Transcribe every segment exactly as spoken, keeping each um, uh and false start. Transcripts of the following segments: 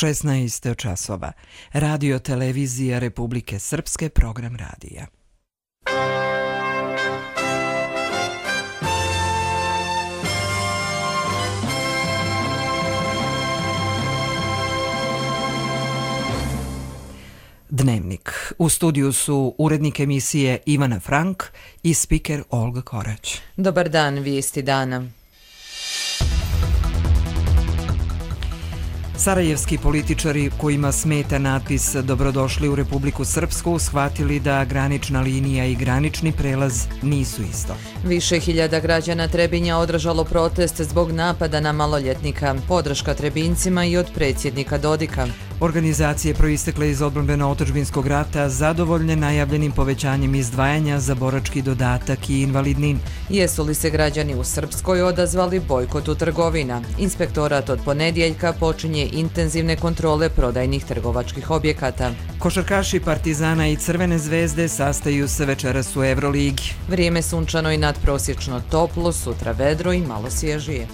šesnaest časova. Radio televizija Republike Srpske, program radija. Dnevnik. U studiju su urednik emisije Ivana Frank i spiker Olga Korać. Dobar dan, vijesti dana. Sarajevski političari kojima smeta natpis Dobrodošli u Republiku Srpsku shvatili da granična linija i granični prelaz nisu isto. Više hiljada građana Trebinja održalo protest zbog napada na maloljetnika. Podrška Trebincima i od predsjednika Dodika. Organizacije proistekle iz odbrambeno-otadžbinskog rata zadovoljne najavljenim povećanjem izdvajanja za borački dodatak i invalidnin. Jesu li se građani u Srpskoj odazvali bojkotu trgovina? Inspektorat od ponedjeljka počinje intenzivne kontrole prodajnih trgovačkih objekata. Košarkaši Partizana i Crvene zvezde sastaju se večeras u Evroligi. Vrijeme sunčano i nadprosječno toplo, sutra vedro i malo svježije.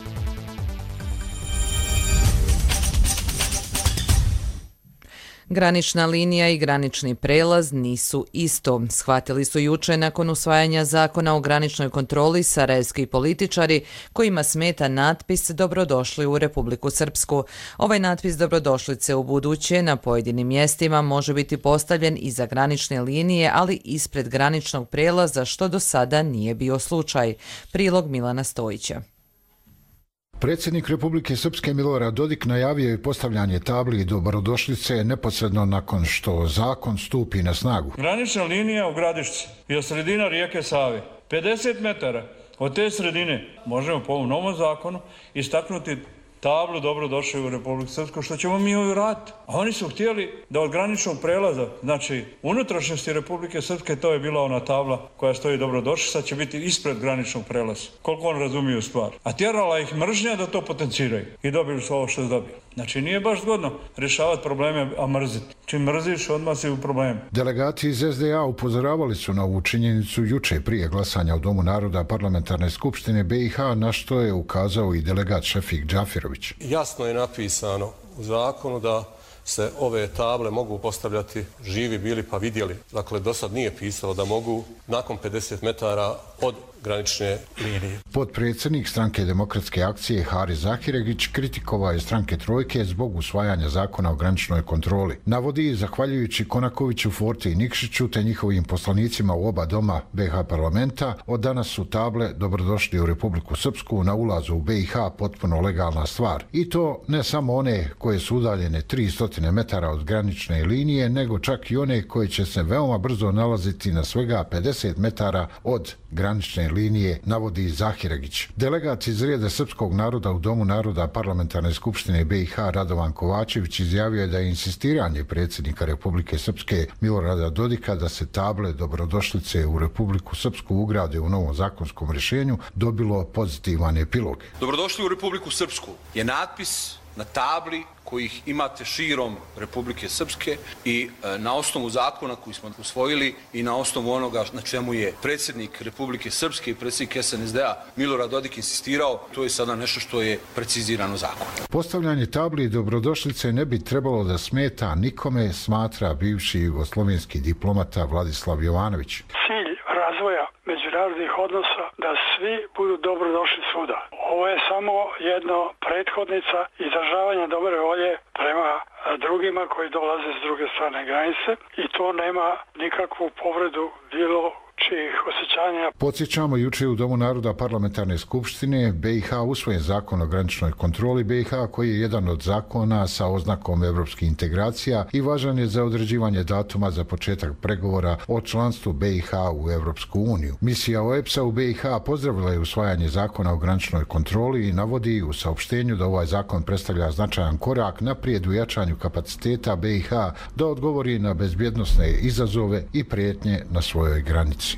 Granična linija i granični prelaz nisu isto. Shvatili su juče nakon usvajanja zakona o graničnoj kontroli sarajevski političari kojima smeta natpis Dobrodošli u Republiku Srpsku. Ovaj natpis dobrodošlice u buduće na pojedinim mjestima može biti postavljen iza granične linije, ali ispred graničnog prelaza, što do sada nije bio slučaj. Prilog Milana Stojića. Predsjednik Republike Srpske Milorad Dodik najavio je postavljanje tabli dobrodošlice neposredno nakon što zakon stupi na snagu. Granična linija u Gradišci je sredina rijeke Save. pedeset metara od te sredine možemo po ovom novom zakonu istaknuti tablu Dobrodošli u Republiku Srpsku, što ćemo mi ovaj raditi. A oni su htjeli da od graničnog prelaza, znači unutrašnjosti Republike Srpske, to je bila ona tabla koja stoji Dobrodošli, sad će biti ispred graničnog prelaza. Koliko on razumiju stvar. A tjerala ih mržnja da to potenciraju. I dobili su ovo što su dobili. Znači nije baš zgodno rješavati probleme, a mrziti. Čim mrziš, odmah si u problemu. Delegati iz es de a upozoravali su na ovu činjenicu juče prije glasanja u Domu naroda Parlamentarne skupštine be i ha, na što je ukazao i delegat Šefik Džafirović. Jasno je napisano u zakonu da se ove table mogu postavljati živi bili pa vidjeli. Dakle, do sad nije pisalo da mogu nakon pedeset metara od granične linije. Potpredsjednik stranke Demokratske akcije Haris Zahiregić kritikovao je stranke Trojke zbog usvajanja zakona o graničnoj kontroli. Navodi, zahvaljujući Konakoviću, Forti i Nikšiću te njihovim poslanicima u oba doma be i ha parlamenta, od danas su table Dobrodošli u Republiku Srpsku na ulazu u be i ha potpuno legalna stvar. I to ne samo one koje su udaljene tristo metara od granične linije, nego čak i one koje će se veoma brzo nalaziti na svega pedeset metara od granične linije, navodi Zahiregić. Delegat iz reda srpskog naroda u Domu naroda Parlamentarne skupštine be i ha Radovan Kovačević izjavio je da je insistiranje predsjednika Republike Srpske Milorada Dodika da se table dobrodošlice u Republiku Srpsku ugrade u novom zakonskom rješenju dobilo pozitivan epilog. Dobrodošli u Republiku Srpsku je natpis na tabli kojih imate širom Republike Srpske i e, na osnovu zakona koji smo usvojili i na osnovu onoga na čemu je predsjednik Republike Srpske i predsjednik es en es de a Milorad Dodik insistirao, to je sada nešto što je precizirano zakonom. Postavljanje tabli dobrodošlice ne bi trebalo da smeta nikome, smatra bivši jugoslovenski diplomata Vladislav Jovanović. Cilj razvoja međunarodnih odnosa da svi budu dobrodošli svuda. Ovo je samo jedno prethodnica izražavanja dobre volje prema drugima koji dolaze s druge strane granice i to nema nikakvu povredu bilo čijih osjećanja. Podsjećamo, juče u Domu naroda Parlamentarne skupštine be i ha usvojen zakon o graničnoj kontroli be i ha koji je jedan od zakona sa oznakom evropskih integracija i važan je za određivanje datuma za početak pregovora o članstvu be i ha u Evropsku uniju. Misija o e pe es a u be i ha pozdravila je usvajanje zakona o graničnoj kontroli i navodi u saopštenju da ovaj zakon predstavlja značajan korak naprijed u jačanju kapaciteta be i ha da odgovori na bezbjednosne izazove i prijetnje na svojoj granici.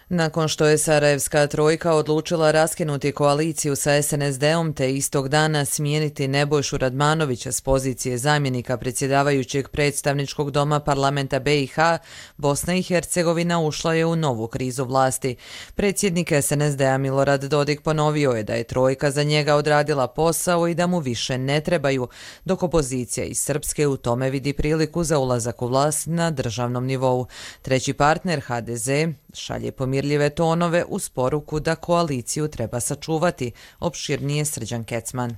Nakon što je Sarajevska trojka odlučila raskinuti koaliciju sa es en es de-om te istog dana smijeniti Nebojšu Radmanovića s pozicije zamjenika predsjedavajućeg predstavničkog doma parlamenta be i ha, Bosna i Hercegovina ušla je u novu krizu vlasti. Predsjednik es en es de-a Milorad Dodik ponovio je da je trojka za njega odradila posao i da mu više ne trebaju, dok opozicija iz Srpske u tome vidi priliku za ulazak u vlast na državnom nivou. Treći partner ha de ze šalje pomirljive tonove uz poruku da koaliciju treba sačuvati, opširnije Srđan Kecman.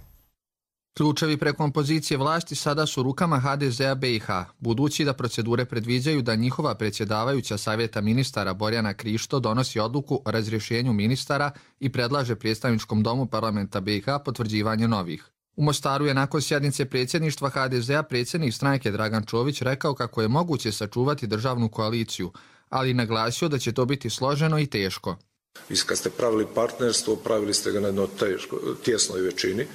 Ključevi prekompozicije vlasti sada su rukama ha de ze-a be i ha, budući da procedure predviđaju da njihova predsjedavajuća savjeta ministara Borjana Krišto donosi odluku o razrješenju ministara i predlaže predstavničkom domu parlamenta be i ha potvrđivanje novih. U Mostaru je nakon sjednice predsjedništva ha de ze-a predsjednik stranke Dragan Čović rekao kako je moguće sačuvati državnu koaliciju, ali naglasio da će to biti složeno i teško. Vi kad ste pravili partnerstvo, pravili ste ga na jednoj tjesnoj većini,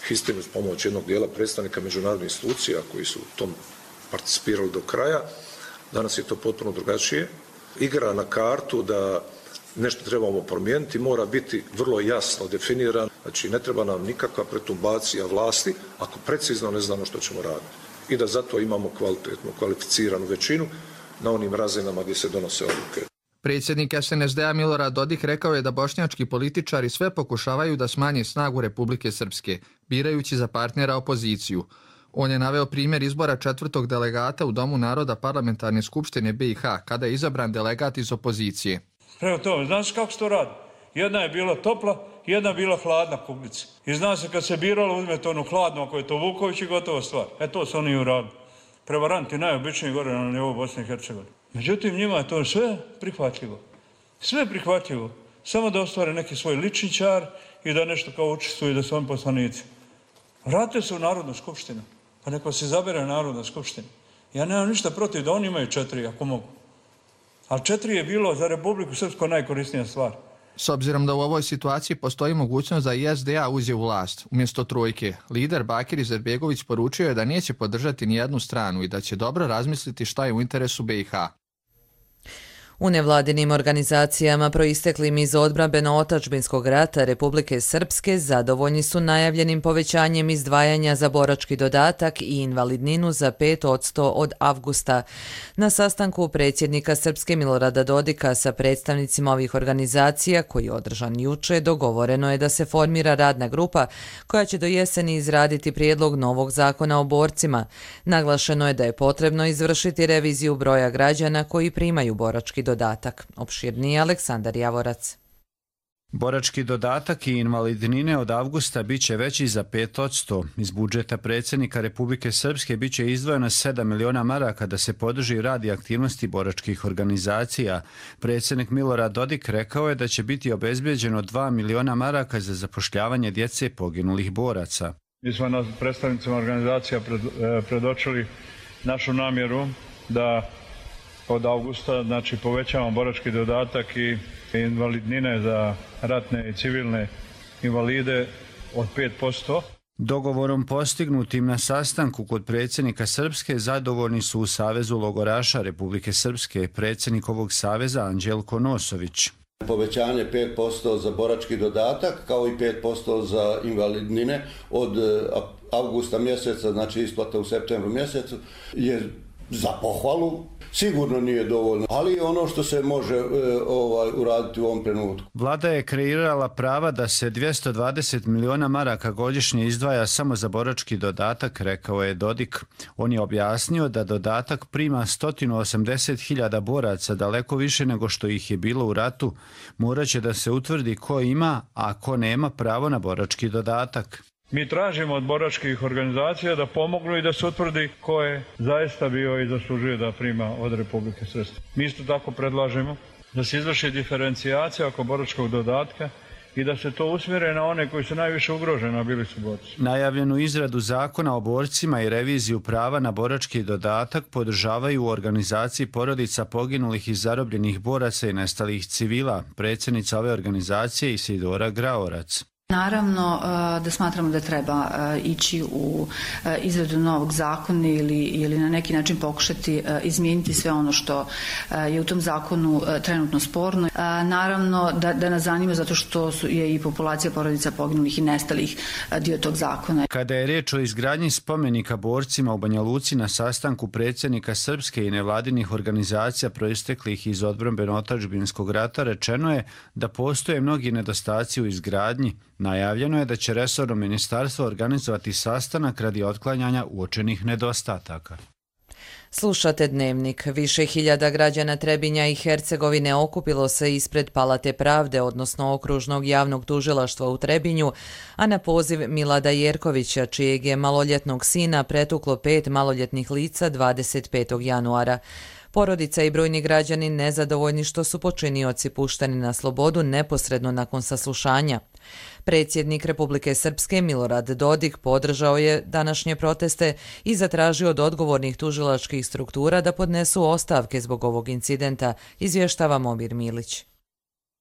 istinu s pomoć jednog dijela predstavnika međunarodnih institucija koji su u tom participirali do kraja. Danas je to potpuno drugačije. Igra na kartu da nešto trebamo promijeniti, mora biti vrlo jasno definiran. Znači, ne treba nam nikakva pretumbacija vlasti ako precizno ne znamo što ćemo raditi. I da zato imamo kvalitetnu, kvalificiranu većinu na onim razinama gdje se donose odluke. Predsjednik es en es de-a Milorad Dodik rekao je da bošnjački političari sve pokušavaju da smanje snagu Republike Srpske, birajući za partnera opoziciju. On je naveo primjer izbora četvrtog delegata u Domu naroda parlamentarne skupštine be i ha, kada je izabran delegat iz opozicije. Prema tome, znaš kako se to radi? Jedna je bila topla, jedna je bila hladna kuglica. I zna se kad se biralo, uzmete onu hladnu, ako je to Vuković i gotova stvar. E to su oni uradili. Prevaranti najobičniji gore na nivou Bosne i Hercegovine. Međutim, njima je to sve prihvatljivo. Sve prihvatljivo. Samo da ostvare neki svoj lični čar i da nešto kao učestvuju da su oni poslanici. Vratite se u Narodnu skupštinu. Pa neko se izabere Narodna skupština. Ja nemam ništa protiv da oni imaju četiri, ako mogu. Ali četiri je bilo za Republiku Srpsku najkorisnija stvar. S obzirom da u ovoj situaciji postoji mogućnost da i es de a uđe u vlast, umjesto trojke, lider Bakir Izetbegović poručio je da neće podržati nijednu stranu i da će dobro razmisliti šta je u interesu be i ha. U nevladinim organizacijama proisteklim iz odbrambeno-otadžbinskog rata Republike Srpske zadovoljni su najavljenim povećanjem izdvajanja za borački dodatak i invalidninu za pet posto od avgusta. Na sastanku predsjednika Srpske Milorada Dodika sa predstavnicima ovih organizacija, koji je održan juče, dogovoreno je da se formira radna grupa koja će do jeseni izraditi prijedlog novog zakona o borcima. Naglašeno je da je potrebno izvršiti reviziju broja građana koji primaju borački dodatak. Opširniji Aleksandar Javorac. Borački dodatak i invalidnine od avgusta biće veći za pet posto. Iz budžeta predsjednika Republike Srpske biće izdvojeno sedam miliona maraka da se podrži rad i aktivnosti boračkih organizacija. Predsjednik Milorad Dodik rekao je da će biti obezbeđeno dva miliona maraka za zapošljavanje djece poginulih boraca. Mi smo na predstavnicima organizacija pred, predočili našu namjeru da od avgusta, znači, povećavamo borački dodatak i invalidnine za ratne i civilne invalide od pet posto. Dogovorom postignutim na sastanku kod predsjednika Srpske zadovoljni su u Savezu logoraša Republike Srpske, predsjednik ovog saveza Anđelko Nosović. Povećanje pet posto za borački dodatak kao i pet posto za invalidnine od avgusta mjeseca, znači isplata u septembru mjesecu, je za pohvalu. Sigurno nije dovoljno, ali ono što se može e, ovaj, uraditi u ovom trenutku. Vlada je kreirala prava da se dvjesto dvadeset miliona maraka godišnje izdvaja samo za borački dodatak, rekao je Dodik. On je objasnio da dodatak prima sto osamdeset hiljada boraca, daleko više nego što ih je bilo u ratu. Morat će da se utvrdi ko ima, a ko nema pravo na borački dodatak. Mi tražimo od boračkih organizacija da pomognu i da se utvrdi ko je zaista bio i zaslužuje da prima od Republike Srpske. Mi isto tako predlažemo da se izvrši diferencijacija oko boračkog dodatka i da se to usmjere na one koji su najviše ugroženi, a bili su borci. Najavljenu izradu zakona o borcima i reviziju prava na borački dodatak podržavaju u organizaciji porodica poginulih i zarobljenih boraca i nestalih civila, predsjednica ove organizacije Isidora Graorac. Naravno da smatramo da treba ići u izradu novog zakona ili, ili na neki način pokušati izmijeniti sve ono što je u tom zakonu trenutno sporno. Naravno da, da nas zanima zato što su, je i populacija porodica poginulih i nestalih dio tog zakona. Kada je riječ o izgradnji spomenika borcima u Banja Luci na sastanku predsjednika Srpske i nevladinih organizacija proisteklih iz odbrambeno-otadžbinskog rata, rečeno je da postoje mnogi nedostaci u izgradnji. Najavljeno je da će resorno ministarstvo organizovati sastanak radi otklanjanja uočenih nedostataka. Slušate Dnevnik. Više hiljada građana Trebinja i Hercegovine okupilo se ispred Palate pravde, odnosno Okružnog javnog tužilaštva u Trebinju, a na poziv Milada Jerkovića, čijeg je maloljetnog sina pretuklo pet maloljetnih lica dvadeset petog januara. Porodica i brojni građani nezadovoljni što su počinioci pušteni na slobodu neposredno nakon saslušanja. Predsjednik Republike Srpske Milorad Dodik podržao je današnje proteste i zatražio od odgovornih tužilačkih struktura da podnesu ostavke zbog ovog incidenta, izvještava Momir Milić.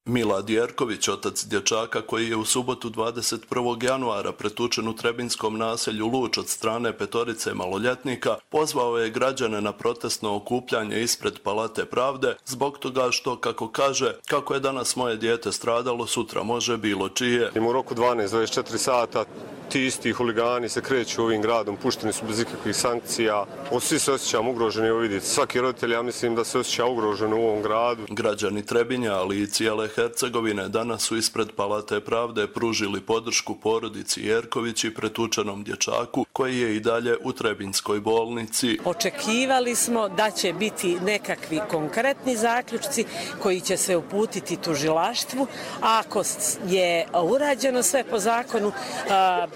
Milad Jerković, otac dječaka koji je u subotu dvadeset prvog januara pretučen u trebinskom naselju Luč od strane petorice maloljetnika, pozvao je građane na protestno okupljanje ispred Palate pravde zbog toga što, kako kaže, kako je danas moje dijete stradalo, sutra može bilo čije. U roku dvanaest do dvadeset četiri sata ti isti huligani se kreću ovim gradom, pušteni su bez ikakvih sankcija. Svi se osjećamo ugroženi, evo vidite, svaki roditelj, ja mislim da se osjeća ugrožen u ovom gradu. Građani Trebinja, ali i cijele Hercegovine danas su ispred Palate pravde pružili podršku porodici Jerković i pretučenom dječaku koji je i dalje u Trebinskoj bolnici. Očekivali smo da će biti nekakvi konkretni zaključci koji će se uputiti tužilaštvu, a ako je urađeno sve po zakonu, a,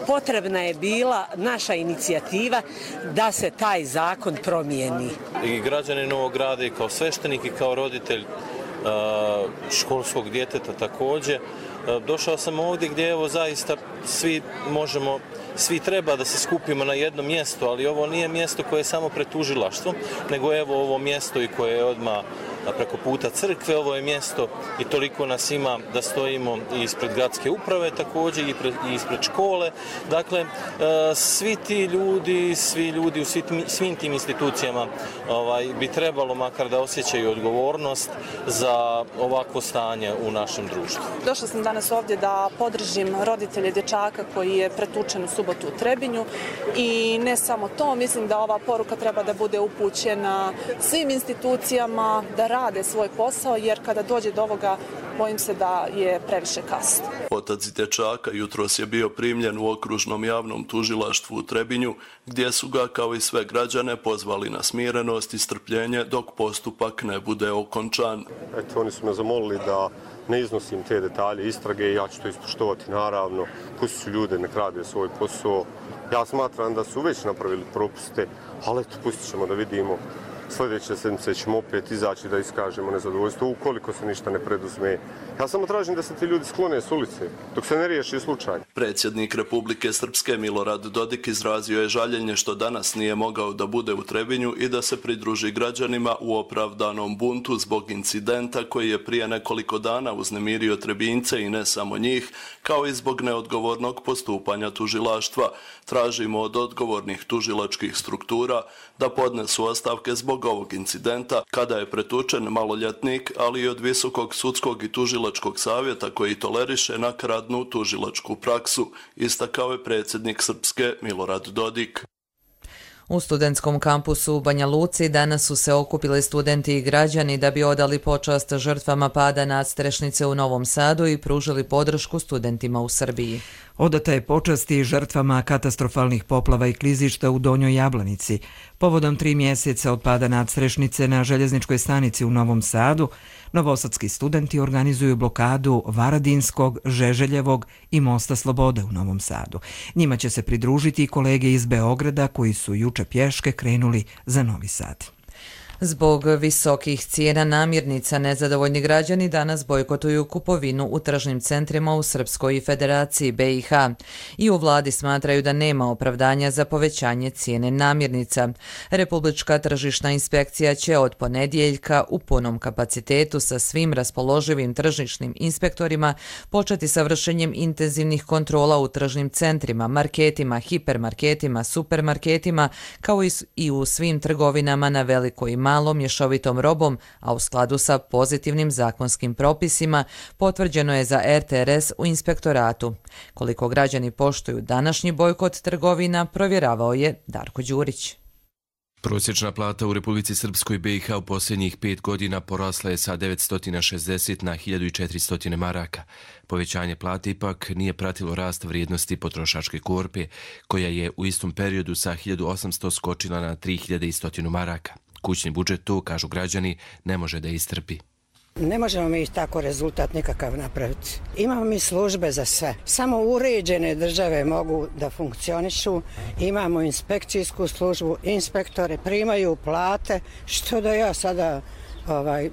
potrebna je bila naša inicijativa da se taj zakon promijeni. I građani Novog Grada i kao sveštenik i kao roditelj školskog djeteta također. Došao sam ovdje gdje evo zaista svi možemo, svi treba da se skupimo na jedno mjesto, ali ovo nije mjesto koje je samo pred tužilaštvom, nego evo ovo mjesto i koje je odmah preko puta crkve, ovo je mjesto i toliko nas ima da stojimo i ispred gradske uprave također i, pred, i ispred škole. Dakle, svi ti ljudi, svi ljudi u svim, svim tim institucijama ovaj, bi trebalo makar da osjećaju odgovornost za ovakvo stanje u našem društvu. Došla sam danas ovdje da podržim roditelje dječaka koji je pretučen u subotu u Trebinju i ne samo to, mislim da ova poruka treba da bude upućena svim institucijama da rade svoj posao, jer kada dođe do ovoga, bojim se da je previše kasno. Otac dječaka jutros je bio primljen u Okružnom javnom tužilaštvu u Trebinju, gdje su ga, kao i sve građane, pozvali na smirenost i strpljenje dok postupak ne bude okončan. Eto, oni su me zamolili da ne iznosim te detalje istrage i ja ću to ispoštovati, naravno. Pusti su ljude, nek rade svoj posao. Ja smatram da su već napravili propuste, ali eto, pustit ćemo da vidimo. Sljedeće sedmice ćemo opet izaći da iskažemo nezadovoljstvo ukoliko se ništa ne preduzme. Ja samo tražim da se ti ljudi sklone s ulice dok se ne riješi slučaj. Predsjednik Republike Srpske Milorad Dodik izrazio je žaljenje što danas nije mogao da bude u Trebinju i da se pridruži građanima u opravdanom buntu zbog incidenta koji je prije nekoliko dana uznemirio Trebinjce i ne samo njih, kao i zbog neodgovornog postupanja tužilaštva. Tražimo od odgovornih tužilačkih struktura da podnesu ostavke zbog ovog incidenta kada je pretučen maloljetnik, ali i od Visokog sudskog i tužilačkog savjeta koji toleriše nakaradnu tužilačku praksu, istakao je predsjednik Srpske Milorad Dodik. U studentskom kampusu u Banja Luci danas su se okupili studenti i građani da bi odali počast žrtvama pada nadstrešnice u Novom Sadu i pružili podršku studentima u Srbiji. Odata je počast i žrtvama katastrofalnih poplava i klizišta u Donjoj Jablanici. Povodom tri mjeseca od pada nadstrešnice na željezničkoj stanici u Novom Sadu, novosadski studenti organizuju blokadu Varadinskog, Žeželjevog i Mosta Slobode u Novom Sadu. Njima će se pridružiti i kolege iz Beograda koji su juče pješke krenuli za Novi Sad. Zbog visokih cijena namirnica nezadovoljni građani danas bojkotuju kupovinu u tržnim centrima u Srpskoj i Federaciji B i H. I u vladi smatraju da nema opravdanja za povećanje cijene namirnica. Republička tržišna inspekcija će od ponedjeljka u punom kapacitetu sa svim raspoloživim tržišnim inspektorima početi sa vršenjem intenzivnih kontrola u tržnim centrima, marketima, hipermarketima, supermarketima, kao i u svim trgovinama na veliko i malom mješovitom robom, a u skladu sa pozitivnim zakonskim propisima, potvrđeno je za R T R S u inspektoratu. Koliko građani poštuju današnji bojkot trgovina, provjeravao je Darko Đurić. Prosječna plata u Republici Srpskoj B i H u posljednjih pet godina porasla je sa devetsto šezdeset na hiljadu četiristo maraka. Povećanje plate ipak nije pratilo rast vrijednosti potrošačke korpe, koja je u istom periodu sa hiljadu osamsto skočila na tri hiljade sto maraka. Kućni budžet to, kažu građani, ne može da istrpi. Ne možemo mi tako rezultat nikakav napraviti. Imamo mi službe za sve. Samo uređene države mogu da funkcionišu. Imamo inspekcijsku službu, inspektore primaju plate. Što da ja sada ovaj,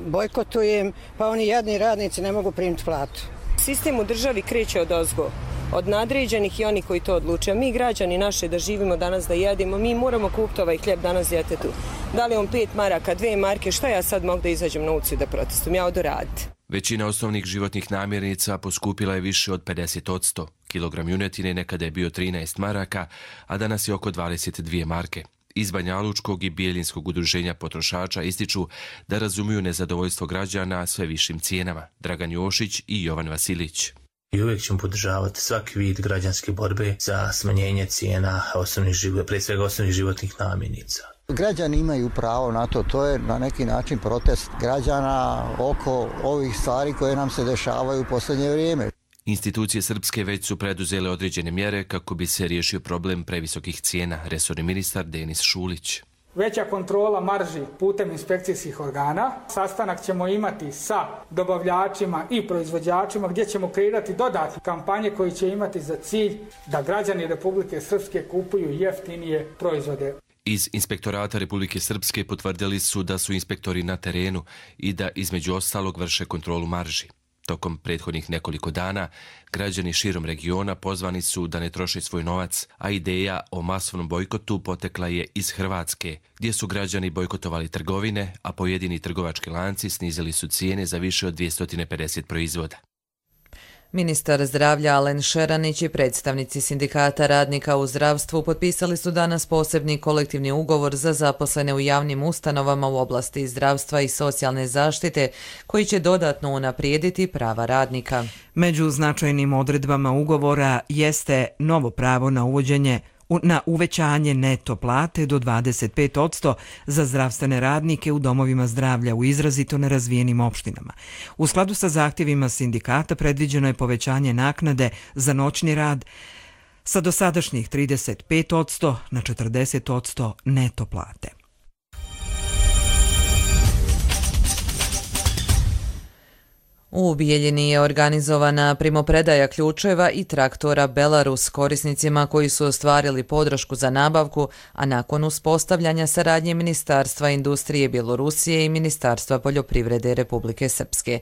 bojkotujem, pa oni jadni radnici ne mogu primiti platu. Sistem u državi kreće od ozgo, od nadređenih i oni koji to odluče. Mi građani naše da živimo danas, da jedimo, mi moramo kupiti ovaj hljeb danas djetetu. Da li on pet maraka, dve marke, što ja sad mogu da izađem na ulicu i da protestujem? Ja odu raditi. Većina osnovnih životnih namirnica poskupila je više od pedeset posto. Kilogram junetine nekada je bio trinaest maraka, a danas je oko dvadeset dvije marke. Iz Banjalučkog i Bijeljinskog udruženja potrošača ističu da razumiju nezadovoljstvo građana sve višim cijenama. Dragan Jošić i Jovan Vasilić. I uvijek ćemo podržavati svaki vid građanske borbe za smanjenje cijena osnovnih život, pre svega osnovnih životnih namirnica. Građani imaju pravo na to, to je na neki način protest građana oko ovih stvari koje nam se dešavaju u posljednje vrijeme. Institucije srpske već su preduzele određene mjere kako bi se riješio problem previsokih cijena, resorni ministar Denis Šulić. Veća kontrola marži putem inspekcijskih organa. Sastanak ćemo imati sa dobavljačima i proizvođačima gdje ćemo kreirati dodatne kampanje koji će imati za cilj da građani Republike Srpske kupuju jeftinije proizvode. Iz Inspektorata Republike Srpske potvrdili su da su inspektori na terenu i da između ostalog vrše kontrolu marži. Tokom prethodnih nekoliko dana, građani širom regiona pozvani su da ne troše svoj novac, a ideja o masovnom bojkotu potekla je iz Hrvatske, gdje su građani bojkotovali trgovine, a pojedini trgovački lanci snizili su cijene za više od dvjesto pedeset proizvoda. Ministar zdravlja Alen Šeranić i predstavnici sindikata radnika u zdravstvu potpisali su danas posebni kolektivni ugovor za zaposlene u javnim ustanovama u oblasti zdravstva i socijalne zaštite, koji će dodatno unaprijediti prava radnika. Među značajnim odredbama ugovora jeste novo pravo na uvođenje na uvećanje neto plate do dvadeset pet posto za zdravstvene radnike u domovima zdravlja u izrazito nerazvijenim opštinama. U skladu sa zahtjevima sindikata predviđeno je povećanje naknade za noćni rad sa dosadašnjih trideset pet posto na četrdeset posto neto plate. U Bijeljini je organizovana primopredaja ključeva i traktora Belarus korisnicima koji su ostvarili podršku za nabavku, a nakon uspostavljanja saradnje Ministarstva industrije Bjelorusije i Ministarstva poljoprivrede Republike Srpske.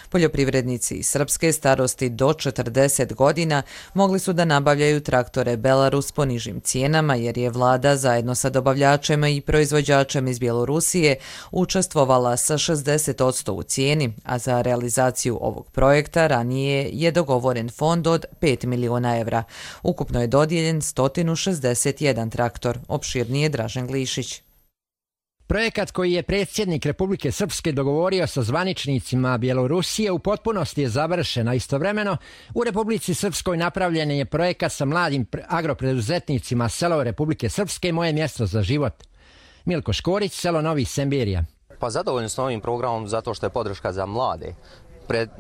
Poljoprivrednici iz srpske starosti do četrdeset godina mogli su da nabavljaju traktore Belarus po nižim cijenama, jer je vlada zajedno sa dobavljačem i proizvođačem iz Bjelorusije učestvovala sa šezdeset posto u cijeni, a za realizaciju ovog projekta ranije je dogovoren fond od pet miliona evra. Ukupno je dodijeljen sto šezdeset jedan traktor, opširnije Dražen Glišić. Projekat koji je predsjednik Republike Srpske dogovorio sa zvaničnicima Bjelorusije u potpunosti je završen, a istovremeno u Republici Srpskoj napravljen je projekat sa mladim agropreduzetnicima selo Republike Srpske, moje mjesto za život. Milko Škorić, selo Novi Sembirija. Pa zadovoljni smo ovim programom zato što je podrška za mlade.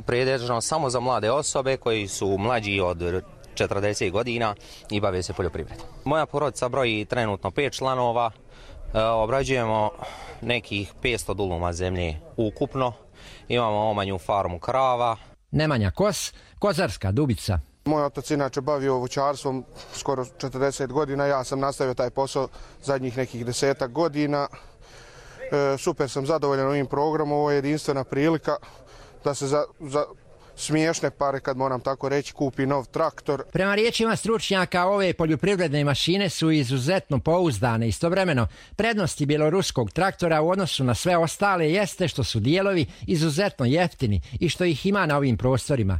Predviđeno samo za mlade osobe koji su mlađi od četrdeset godina i bave se poljoprivredom. Moja porodica broji trenutno pet članova, obrađujemo nekih petsto duluma zemlje ukupno, imamo omanju farmu krava. Nemanja Kos, Kozarska Dubica. Moj otac inače bavio voćarstvom skoro četrdeset godina, ja sam nastavio taj posao zadnjih nekih desetak godina. super sam zadovoljan ovim programom, ovo je jedinstvena prilika da se za, za smiješne pare, kad moram tako reći, kupi nov traktor. Prema riječima stručnjaka, ove poljoprivredne mašine su izuzetno pouzdane. Istovremeno, prednosti bjeloruskog traktora u odnosu na sve ostale jeste što su dijelovi izuzetno jeftini i što ih ima na ovim prostorima.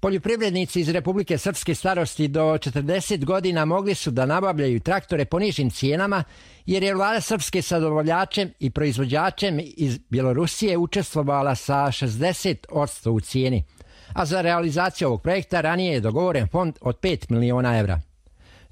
Poljoprivrednici iz Republike Srpske starosti do četrdeset godina mogli su da nabavljaju traktore po nižim cijenama, jer je vlada Srpske sa dobavljačem i proizvođačem iz Bjelorusije učestvovala sa šezdeset posto u cijeni. A za realizaciju ovog projekta ranije je dogovoren fond od pet miliona evra.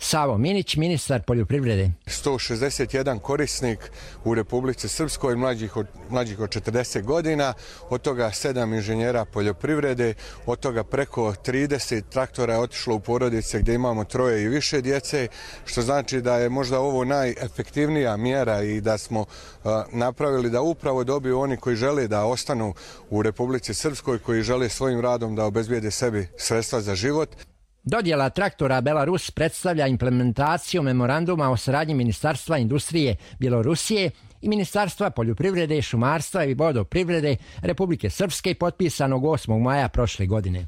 Savo Minić, ministar poljoprivrede. sto šezdeset jedan korisnik u Republici Srpskoj, mlađih od, mlađih od četrdeset godina, od toga sedam inženjera poljoprivrede, od toga preko trideset traktora je otišlo u porodice gdje imamo troje i više djece, što znači da je možda ovo najefektivnija mjera i da smo uh, napravili da upravo dobiju oni koji žele da ostanu u Republici Srpskoj, koji žele svojim radom da obezbijede sebi sredstva za život. Dodjela traktora Belarus predstavlja implementaciju memoranduma o saradnji Ministarstva industrije Bjelorusije i Ministarstva poljoprivrede, šumarstva i vodoprivrede Republike Srpske potpisanog osmog maja prošle godine.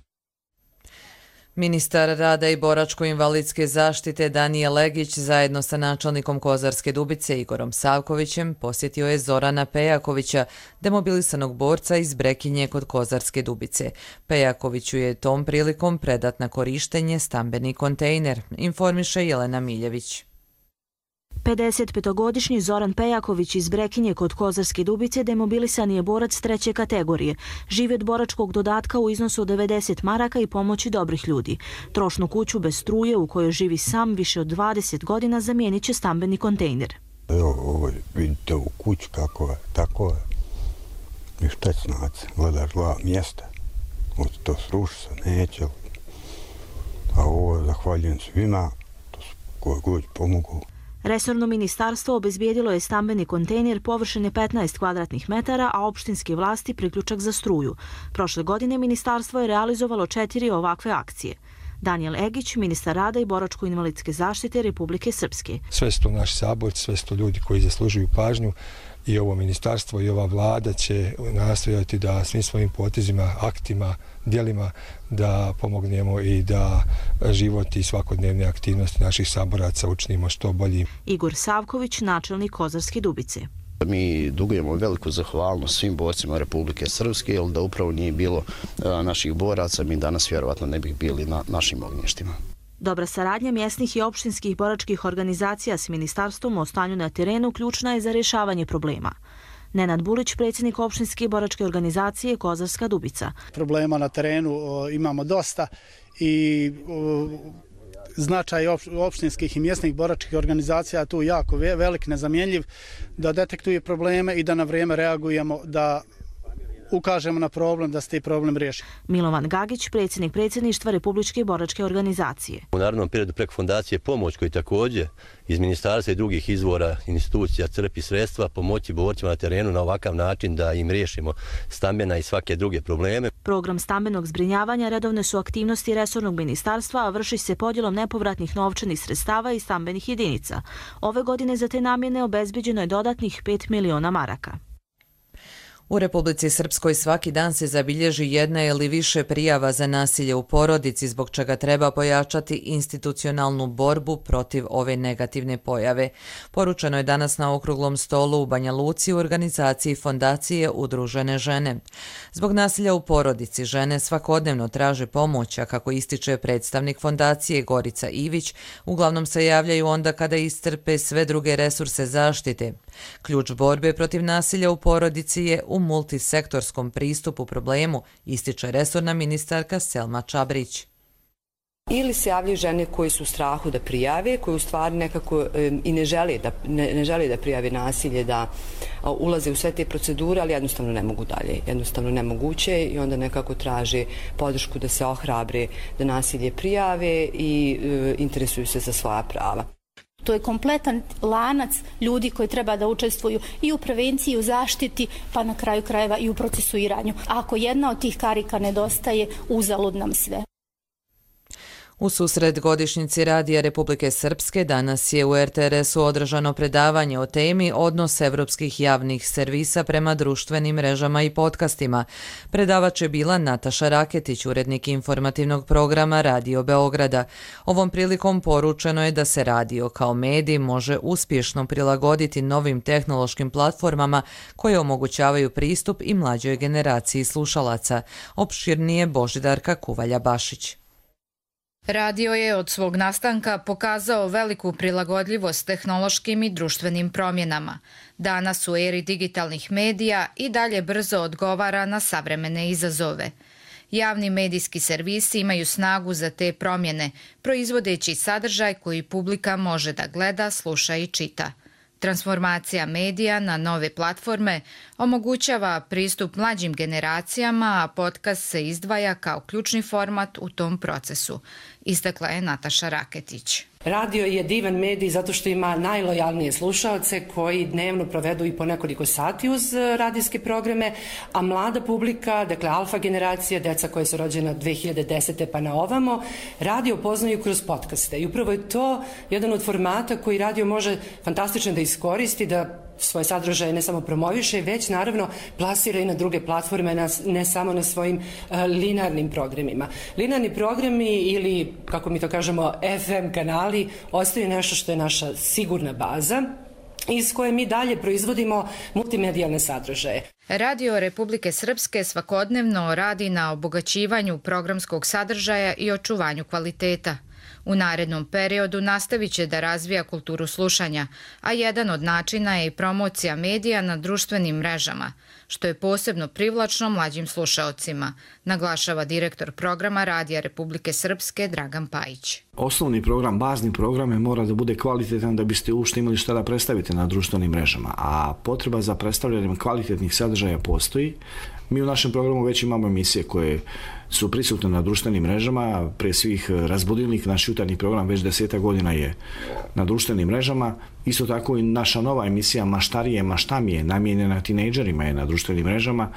Ministar rada i boračko-invalidske zaštite Danijel Legić zajedno sa načelnikom Kozarske Dubice Igorom Savkovićem posjetio je Zorana Pejakovića, demobilisanog borca iz Brekinje kod Kozarske Dubice. Pejakoviću je tom prilikom predat na korištenje stambeni kontejner, informiše Jelena Miljević. pedesetpetogodišnji Zoran Pejaković iz Brekinje kod Kozarske Dubice demobilisan je borac treće kategorije. Živi od boračkog dodatka u iznosu od devedeset maraka i pomoći dobrih ljudi. Trošnu kuću bez struje u kojoj živi sam više od dvadeset godina zamijenit će stambeni kontejner. Evo, ovo vidite u kuću kako je, tako je. I šta znaci, gledaš dva mjesta. Od to sruši se, neće. A ovo zahvaljujem svima, to su koji god pomogu. Resorno ministarstvo obezbijedilo je stambeni kontejner površine petnaest kvadratnih metara, a opštinske vlasti priključak za struju. Prošle godine ministarstvo je realizovalo četiri ovakve akcije. Danijel Egić, ministar rada i boračko-invalidske zaštite Republike Srpske. Sve su to naši saborci, sve su to ljudi koji zaslužuju pažnju i ovo ministarstvo i ova vlada će nastojati da svim svojim potezima, aktima, djelima da pomognemo i da život i svakodnevne aktivnosti naših saboraca učinimo što bolji. Igor Savković, načelnik Kozarske Dubice. Mi dugujemo veliku zahvalnost svim borcima Republike Srpske, jer da upravo nije bilo naših boraca, mi danas vjerovatno ne bih bili na našim ognjištima. Dobra saradnja mjesnih i opštinskih boračkih organizacija s ministarstvom o stanju na terenu ključna je za rješavanje problema. Nenad Bulić, predsjednik opštinske boračke organizacije Kozarska Dubica. Problema na terenu o, imamo dosta i o, značaj opštinskih i mjesnih boračkih organizacija tu jako velik, nezamjenljiv, da detektuje probleme i da na vrijeme reagujemo, da ukažemo na problem, da se taj problem riješi. Milovan Gagić, predsjednik predsjedništva Republičke boračke organizacije. U narednom periodu preko fondacije pomoć koji također iz ministarstva i drugih izvora institucija crpi sredstva pomoći borcima na terenu na ovakav način da im riješimo stambena i svake druge probleme. Program stambenog zbrinjavanja redovne su aktivnosti resornog ministarstva, a vrši se podjelom nepovratnih novčanih sredstava i stambenih jedinica. Ove godine za te namjene obezbeđeno je dodatnih pet miliona maraka. U Republici Srpskoj svaki dan se zabilježi jedna ili više prijava za nasilje u porodici, zbog čega treba pojačati institucionalnu borbu protiv ove negativne pojave. Poručeno je danas na okruglom stolu u Banja Luci u organizaciji Fondacije Udružene žene. Zbog nasilja u porodici žene svakodnevno traže pomoć, a kako ističe predstavnik Fondacije Gorica Ivić, uglavnom se javljaju onda kada iscrpe sve druge resurse zaštite. Ključ borbe protiv nasilja u porodici je u multisektorskom pristupu problemu, ističe resorna ministarka Selma Čabrić. Ili se javljaju žene koji su u strahu da prijave, koji u stvari nekako e, i ne žele da, ne, ne žele da prijave nasilje, da a, ulaze u sve te procedure, ali jednostavno ne mogu dalje. Jednostavno nemoguće i onda nekako traže podršku da se ohrabre, da nasilje prijave i e, interesuju se za svoja prava. To je kompletan lanac ljudi koji treba da učestvuju i u prevenciji, i u zaštiti, pa na kraju krajeva i u procesuiranju. Ako jedna od tih karika nedostaje, uzalud nam sve. U susret godišnjici Radija Republike Srpske danas je u er te er esu održano predavanje o temi odnos evropskih javnih servisa prema društvenim mrežama i podcastima. Predavač je bila Nataša Raketić, urednik informativnog programa Radio Beograda. Ovom prilikom poručeno je da se radio kao medij može uspješno prilagoditi novim tehnološkim platformama koje omogućavaju pristup i mlađoj generaciji slušalaca. Opširnije Božidarka Kuvalja-Bašić. Radio je od svog nastanka pokazao veliku prilagodljivost tehnološkim i društvenim promjenama. Danas u eri digitalnih medija i dalje brzo odgovara na savremene izazove. Javni medijski servisi imaju snagu za te promjene, proizvodeći sadržaj koji publika može da gleda, sluša i čita. Transformacija medija na nove platforme omogućava pristup mlađim generacijama, a podcast se izdvaja kao ključni format u tom procesu, istakla je Nataša Raketić. Radio je divan medij zato što ima najlojalnije slušaoce koji dnevno provedu i po nekoliko sati uz radijske programe, a mlada publika, dakle alfa generacija, deca koje su rođena dve hiljade desete pa na ovamo, radio poznaju kroz podcaste. I upravo je to jedan od formata koji radio može fantastično da iskoristi, da svoje sadržaje ne samo promoviše, već naravno plasira i na druge platforme, ne samo na svojim uh, linearnim programima. Linearni programi ili, kako mi to kažemo, ef em kanali ostaju nešto što je naša sigurna baza iz koje mi dalje proizvodimo multimedijalne sadržaje. Radio Republike Srpske svakodnevno radi na obogaćivanju programskog sadržaja i očuvanju kvaliteta. U narednom periodu nastavit će da razvija kulturu slušanja, a jedan od načina je i promocija medija na društvenim mrežama, što je posebno privlačno mlađim slušaocima, naglašava direktor programa Radija Republike Srpske Dragan Pajić. Osnovni program, bazni program je mora da bude kvalitetan da biste uopšte imali šta da predstavite na društvenim mrežama, a potreba za predstavljanjem kvalitetnih sadržaja postoji. Mi u našem programu već imamo emisije koje su prisutne na društvenim mrežama, pre svih Razbudilnik, naš jutarnji program već deseta godina je na društvenim mrežama. Isto tako i naša nova emisija Maštarije, Maštamije, namijenjena tinejdžerima je na društvenim mrežama,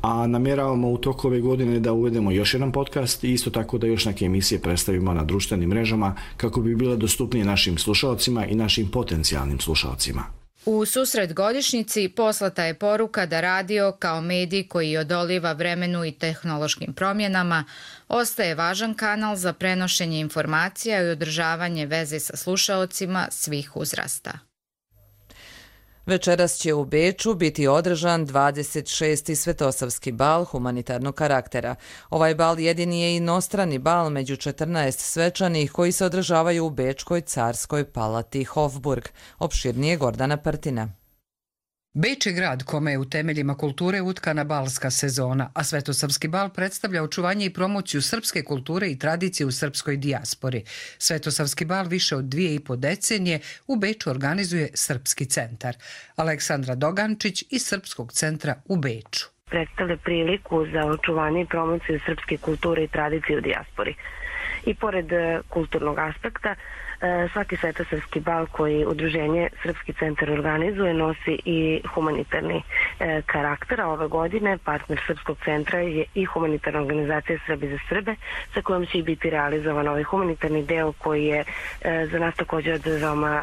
a namjeravamo u toku ove godine da uvedemo još jedan podcast i isto tako da još neke emisije predstavimo na društvenim mrežama kako bi bile dostupnije našim slušaocima i našim potencijalnim slušaocima. U susret godišnjici poslata je poruka da radio kao medij koji odoliva vremenu i tehnološkim promjenama ostaje važan kanal za prenošenje informacija i održavanje veze sa slušaocima svih uzrasta. Večeras će u Beču biti održan dvadeset šesti Svetosavski bal humanitarnog karaktera. Ovaj bal jedini je inostrani bal među četrnaest svečanih koji se održavaju u Bečkoj carskoj palati Hofburg. Opširnije Gordana Prtina. Beč je grad kome je u temeljima kulture utkana balska sezona, a Svetosavski bal predstavlja očuvanje i promociju srpske kulture i tradicije u srpskoj dijaspori. Svetosavski bal više od dvije i po decenije u Beču organizuje Srpski centar. Aleksandra Dogančić iz Srpskog centra u Beču. Predstavlja priliku za očuvanje i promociju srpske kulture i tradicije u dijaspori. I pored kulturnog aspekta, svaki Svetosavski bal koji udruženje Srpski centar organizuje nosi i humanitarni karakter, a ove godine partner Srpskog centra je i humanitarna organizacija Srbi za Srbe, sa kojom će biti realizovan ovaj humanitarni deo koji je za nas također od veoma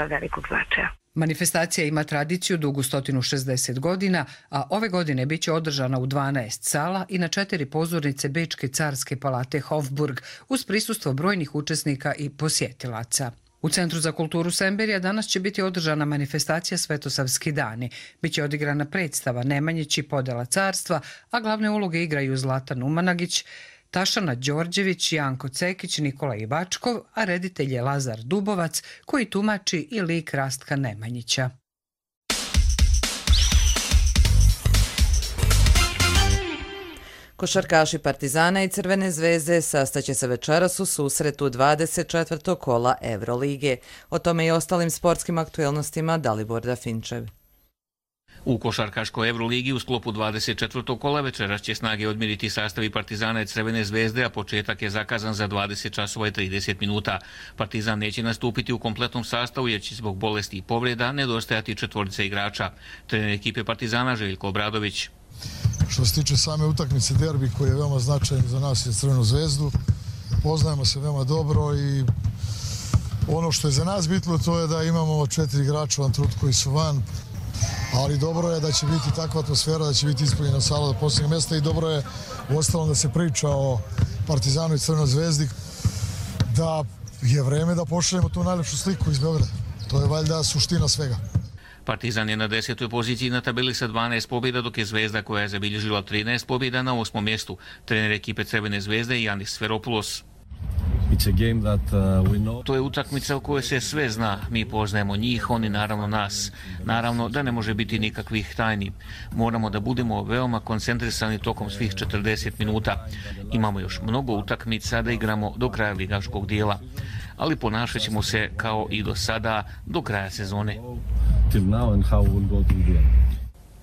velikog značaja. Manifestacija ima tradiciju dugu sto šezdeset godina, a ove godine biće održana u dvanaest sala i na četiri pozornice Bečke carske palate Hofburg uz prisustvo brojnih učesnika i posjetilaca. U Centru za kulturu Semberija danas će biti održana manifestacija Svetosavski dani. Biće odigrana predstava Nemanjić i podela carstva, a glavne uloge igraju Zlatan Umanagić, Tašana Đorđević, Janko Cekić, Nikola Ivačkov, a reditelj je Lazar Dubovac, koji tumači i lik Rastka Nemanjića. Košarkaši Partizana i Crvene zvezde sastaće se večeras u susretu dvadeset četvrtog kola Evrolige. O tome i ostalim sportskim aktuelnostima Dalibor Dafinčev. U košarkaškoj Evroligi u sklopu dvadeset četvrtog kola večeras će snage odmiriti sastavi Partizana i Crvene zvezde, a početak je zakazan za dvadeset časova i trideset minuta. Partizan neće nastupiti u kompletnom sastavu jer će zbog bolesti i povreda nedostajati četvorica igrača. Trener ekipe Partizana Željko Obradović. Što se tiče same utakmice derbi koji je veoma značajan za nas i Crvenu zvezdu, poznajemo se veoma dobro i ono što je za nas bitno to je da imamo četiri igrača u ovom trenutku koji su van, ali dobro je da će biti takva atmosfera, da će biti ispunjena sala do posljednjeg mjesta i dobro je uostalom da se priča o Partizanu i Crvenoj zvezdi, da je vreme da pošaljemo tu najlepšu sliku iz Beograda. To je valjda suština svega. Partizan je na desetoj poziciji na tabeli sa dvanaest pobjeda, dok je Zvezda koja je zabilježila trinaest pobjeda na osmom mjestu. Trener ekipe Crvene zvezde Janis Sferopoulos. To je utakmica u kojoj se sve zna. Mi poznajemo njih, oni naravno nas. Naravno da ne može biti nikakvih tajni. Moramo da budemo veoma koncentrisani tokom svih četrdeset minuta. Imamo još mnogo utakmica da igramo do kraja ligaškog dijela. Ali ponašat ćemo se kao i do sada do kraja sezone.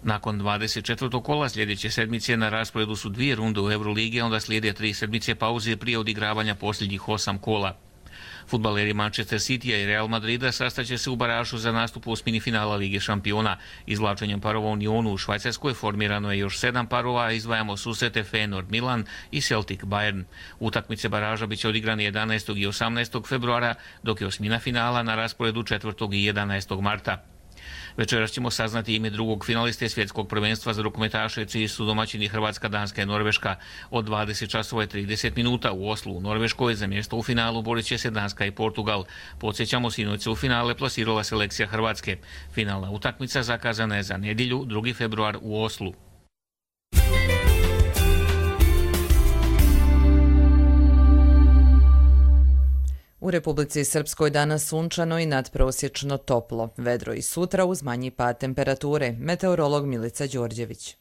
Nakon dvadeset četvrtog kola sljedeće sedmice na rasporedu su dvije runde u Euroligi, a onda slijede tri sedmice pauze prije odigravanja posljednjih osam kola. Fudbaleri Manchester Citya i Real Madrida sastaće se u baražu za nastup osmini finala Lige šampiona. Izvlačenjem parova u Unionu u Švajcarskoj formirano je još sedam parova, a izdvajamo susrete Feyenoord Milan i Celtic Bayern. Utakmice baraža biće odigrane jedanaestog i osamnaestog februara, dok je osmina finala na rasporedu četvrtog i jedanaestog marta. Večeras ćemo saznati ime drugog finaliste svjetskog prvenstva za rukometaše, čiji su domaćini Hrvatska, Danska i Norveška. Od dvadeset časova i trideset minuta u Oslu u Norveškoj za mjesto u finalu borit će se Danska i Portugal. Podsjećamo, sinoć se u finale plasirala selekcija Hrvatske. Finalna utakmica zakazana je za nedjelju, drugi februar u Oslu. U Republici Srpskoj danas sunčano i nadprosječno toplo, vedro i sutra uz manji pad temperature. Meteorolog Milica Đorđević.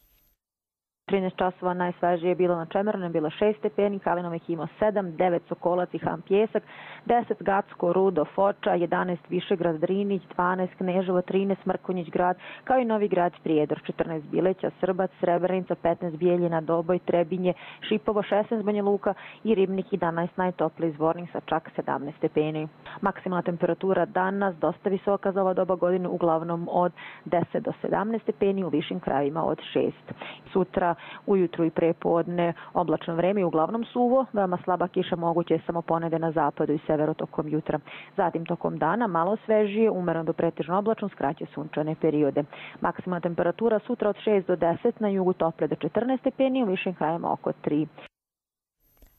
trinaest časova najsvežije je bilo na Čemernom, bilo šest stepeni, Kalinovih imao sedam, devet Sokolac i Ham Pjesak, deset Gacko, Rudo, Foča, jedanaest Višegrad, Drinić, dvanaest Kneževo, trinaest Mrkonjić grad, kao i Novi grad Prijedor, četrnaest Bileća, Srbac, Srebrenica, petnaest Bijeljina, Doboj, Trebinje, Šipovo, šesnaest Banja Luka i Ribnik, jedanaest najtopliji Zvornik sa čak sedamnaest stepeni. Maksimalna temperatura danas dosta visoka za ova doba godine, uglavnom od deset do sedamnaest stepeni, u višim krajevima od šest. Sutra ujutru i prepodne oblačno vreme i uglavnom suvo, veoma slaba kiša moguće je samo ponede na zapadu i severu tokom jutra. Zatim tokom dana malo svežije, umereno do pretežno oblačno, skraće sunčane periode. Maksimalna temperatura sutra od šest do deset, na jugu tople do četrnaest stepeni, u višim krajevima oko tri.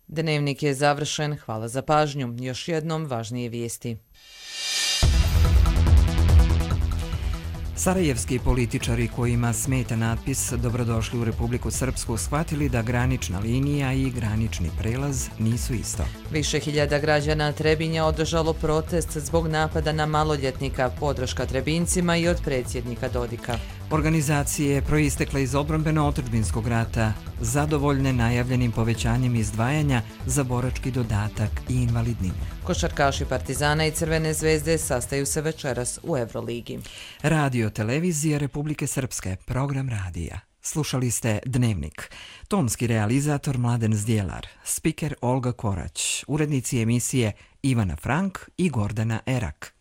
Dnevnik je završen, hvala za pažnju. Još jednom važnije vijesti. Sarajevski političari kojima smeta natpis Dobrodošli u Republiku Srpsku shvatili da granična linija i granični prelaz nisu isto. Više hiljada građana Trebinja održalo protest zbog napada na maloljetnika, podrška Trebincima i od predsjednika Dodika. Organizacije proistekle iz odbrambeno-otadžbinskog rata zadovoljne najavljenim povećanjem izdvajanja za borački dodatak i invalidninu. Košarkaši Partizana i Crvene zvezde sastaju se večeras u Euroligi. Radio televizija Republike Srpske, program radija. Slušali ste Dnevnik. Tonski realizator Mladen Zdjelar, spiker Olga Korać, urednici emisije Ivana Frank i Gordana Erak.